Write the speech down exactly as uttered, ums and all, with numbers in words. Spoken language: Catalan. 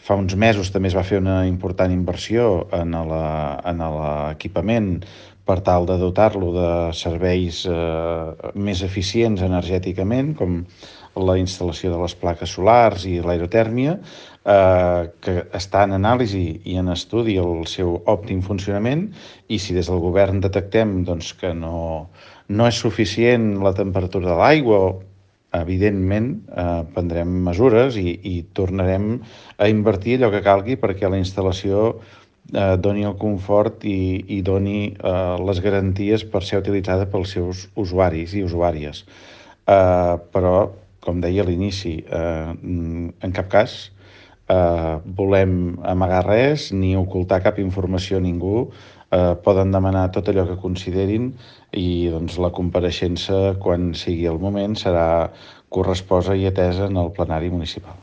Fa uns mesos també es va fer una important inversió en la- en l'equipament per tal de dotar-lo de serveis eh, més eficients energèticament, com la instal·lació de les plaques solars i l'aerotèrmia, eh, que està en anàlisi i en estudi el seu òptim funcionament, i si des del govern detectem doncs, que no, no és suficient la temperatura de l'aigua, evidentment eh, prendrem mesures i, i tornarem a invertir allò que calgui perquè la instal·lació eh, doni el confort i, i doni eh, les garanties per ser utilitzada pels seus usuaris i usuàries. Eh, però, com deia a l'inici, eh, en cap cas eh, volem amagar res ni ocultar cap informació a ningú. Eh, poden demanar tot allò que considerin i doncs, la compareixença, quan sigui el moment, serà corresposa i atesa en el plenari municipal.